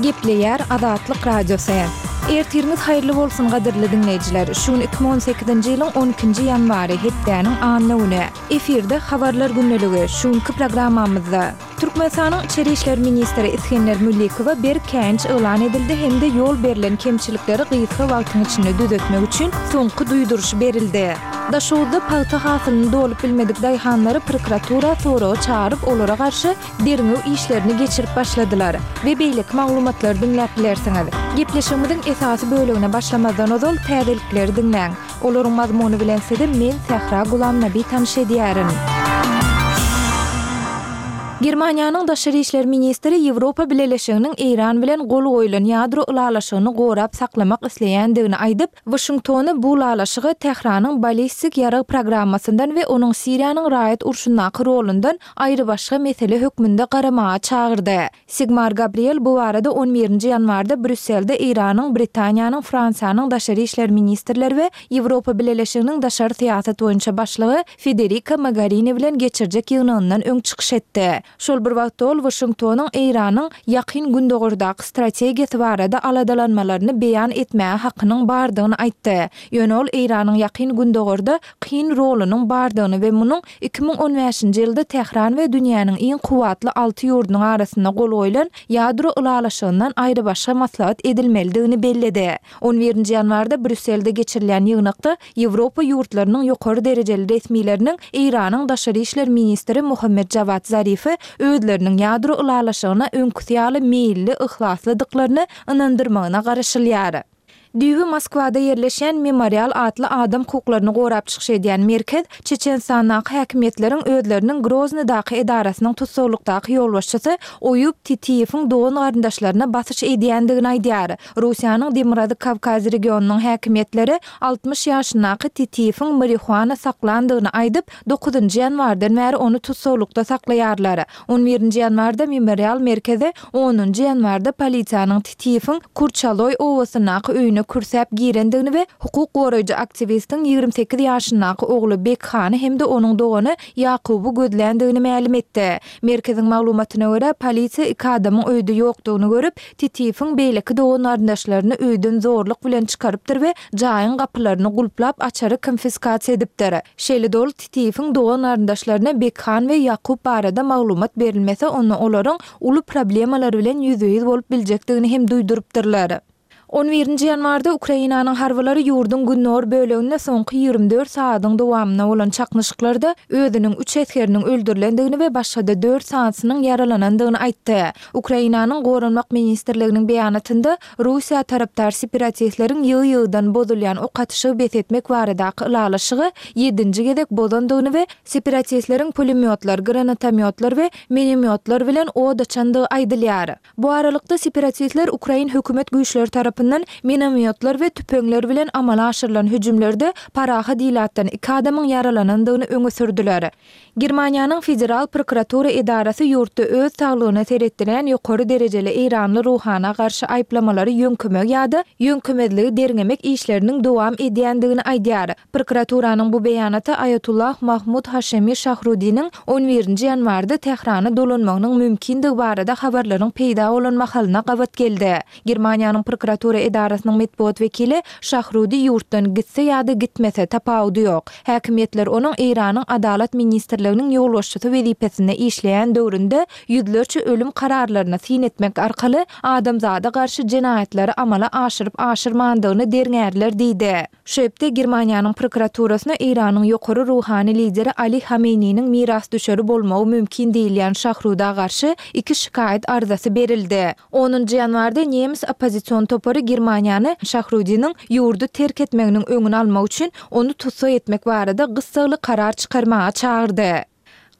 Gepleýär Azatlyk Radiosy. Ertiriňiz haýyrly bolsun gadyrly diňleýjiler! Şu gün 2018-nji ýylyň on ikinji ýanwary, hepdäniň anna güni. Efirde Habarlar gündeligi. Şu günki programmamyzda. Türkmenistanyň Içeri işler ministri Isgender Mülikowa berk käýinç yglan edildi hem-de ýol berlen kemçilikleri gysga wagtyň içinde düzetmek üçin soňky duýduryş berildi. Daşoguzda pagta hasylyny dolup bilmedik daýhanlary prokuratura soraga çagyryp, olara garşy derňew işlerini geçirip başladylar we beýleki maglumatlary diňläp bilersiňiz. Gepleşigimiziň esasy bölegine başlamazdan ozal täzelikleri diňläň. Olaryň mazmuny bilen sizi men Sähra Gulamnabi tanyş edýärin. Germaniýanyň daşary işler ministri Ýewropa Bileleşiginiň Eýran bilen gol goýlan ýadro ylalaşygyny gorap saklamak isleýändigini aýdyp, Waşingtony bu ylalaşyga Tähranyň ballistik ýarag programmasyndan we onuň Siriýanyň raýat urşundaky rolundan aýrybaşga mesele hökmünde garamaga çagyrdy. Sigmar Gabriel bu barada on birinji ýanwarda Brýusselde Eýranyň, Britaniýanyň, Fransiýanyň daşary işler ministrleri we Ýewropa Bileleşiginiň daşary syýasat boýunça başlygy Federika Mogarini bilen geçirjek ýygnagyndan öň çykyş etdi. Şol bir wagtda ol Waşingtonyň Eýranyň Ýakyn Gündogardaky strategiýasy barada aladalanmalaryny beýan etmäge hakynyň bardygyny aýtdy. Ýöne ol Eýranyň Ýakyn Gündogarda kyn rolunyň bardygyny we munuň 2015-nji ýylda Tähran we dünýäniň iň kuwwatly alty ýurdunyň arasynda gol goýlan ýadro ylalaşygyndan aýrybaşga maslahat edilmelidigini belledi. On birinji ýanwarda Brýusselde geçirilýän ýygnakda Ýewropa ýurtlarynyň ýokary derejeli resmileriniň Eýranyň daşary işler ministri Mohammed Jawad Zarifi özleriniň ýadro ylalaşygyna öňküsi ýaly meýilli, yhlaslydyklaryny ynandyrmagyna garaşylýar. Düýbi Moskwada ýerleşýän Memorial atly adam hukuklaryny gorap çykyş edýän merkez Çeçenistandaky häkimiýetleriň özleriniň Groznydaky edarasynyň tussaglykdaky ýolbaşçysy Oýub Titiýewiň dogan-garyndaşlaryna basyş edýändigini aýdýar. Russiýanyň Demirgazyk Kawkaz regionynyň häkimiýetleri 60 ýaşyndaky Titiýewiň marihuana saklandygyny aýdyp, dokuzynjy ýanwardan bäri ony tussaglykda saklaýarlar. On birinji ýanwarda Memorial merkezi onunjy ýanwarda polisiýanyň Titiýewiň Kurçaloý obasyndaky öýüne kürsäp girendigini we hukuk goraýjy aktiwistiň 28 ýaşyndaky ogly Bekhany hem-de onuň dogany Ýakuby gözländigini mälim etdi. Merkeziň maglumatyna görä, polisiýa iki adamyň öýde ýokdugyny görüp, Titiýewiň beýleki dogan-garyndaşlaryny öýden zorluk bilen çykarypdyr we jaýyň gapylaryny gulplap, açary konfiskasiýa edipdir. Şeýle-de ol Titiýewiň dogan-garyndaşlaryna Bekhan we Ýakup barada maglumat berilmese, onda olaryň uly problemalar bilen ýüzbe-ýüz bolup biljekdigini hem duýdurypdyrlar. On birinji ýanwarda Ukrainanyň harbylary ýurduň gündogar böleginde soňky 24 sagadyň dowamynda bolan çaknyşyklarda özüniň üç esgeriniň öldürilendigini we başga-da dört sanysynyň ýaralanandygyny aýtdy. Ukrainanyň Goranmak ministrliginiň beýanatynda Russiýa tarapdar separatistleriň ýygy-ýygydan bozulýan ok atyşygy bes etmek baradaky ylalaşygy ýedinji gezek bozandygyny we separatistleriň pulemýotlar, granatomýotlar we minomýotlar bilen od açandygy aýdylýar. Bu aralykda, separatistler ukrain hökümet güýçleri tarapyndan minomýotlar we tüpeňler bilen amala aşyrylan hüjümlerde parahat ilatdan iki adamyň ýaralanandygyny öňe sürdüler. Germaniýanyň Federal prokuratura edarasy ýurtda öz saglygyna seretdirýän ýokary derejeli eýranly ruhana garşy aýyplamalary ýöňkemegi ýa-da ýöňkemezligi derňemek işleriniň dowam edýändigini aýdýar. Prokuraturanyň bu beýanaty Aýatullah Mahmud Haşemi Şahrudiniň on birinji ýanwarda Tährana dolanmagynyň mümkindigi barada habarlaryň peýda bolan mahalyna gabat geldi. Germaniýanyň prokuratura edarasynyň metbugat wekili Şahrudi ýurtdan gitse ýa-da gitmese, tapawudy ýok. Häkimiýetler onuň Eýranyň Adalat ministrliginiň ýolbaşçysy wezipesinde işleýän döwründe ýüzlerçe ölüm kararlaryna syn etmek arkaly adamzada garşy jenaýatlary amala aşyryp-aşyrmandygyny derňärler diýdi. Şu hepde Germaniýanyň prokuraturasyna Eýranyň ýokary ruhany lideri Ali Hameýniniň mirasdüşeri bolmagy mümkin diýilýän Şahruda garşy iki şikaýat arzasy berildi. Onunjy ýanwarda nemes oppozision topary Germaniýany Şahrudiniň ýurdy terk etmeginiň öňüni almak üçin ony tussag etmek barada gyssagly karar çykarmaga çagyrdy.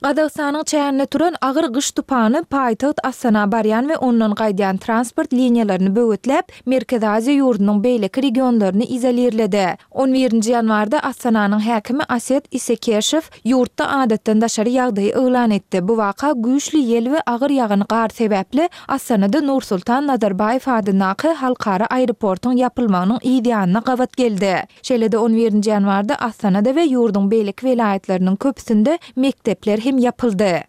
Gazagystanyň çäginde turan agyr gyş tupany paýtagt Astana barýan we ondan gaýdýan transport liniýalaryny böwetläp, Merkezi Aziýa ýurdunyň beýleki regionlaryny izolirledi. On birinji ýanwarda Astananyň häkimi Aset Isekeşew ýurtda adatdan daşary ýagdaýy yglan etdi. Bu waka güýçli ýel we agyr ýagan gar sebäpli Astanada Nursultan Nazarbaýew adyndaky halkara aeroportyň ýapylmagynyň yz ýanyna gabat geldi. Şeýle-de on birinji ýanwarda Astanada we ýurduň beýleki welaýatlarynyň köpüsinde mekdepler hem ýapyldy.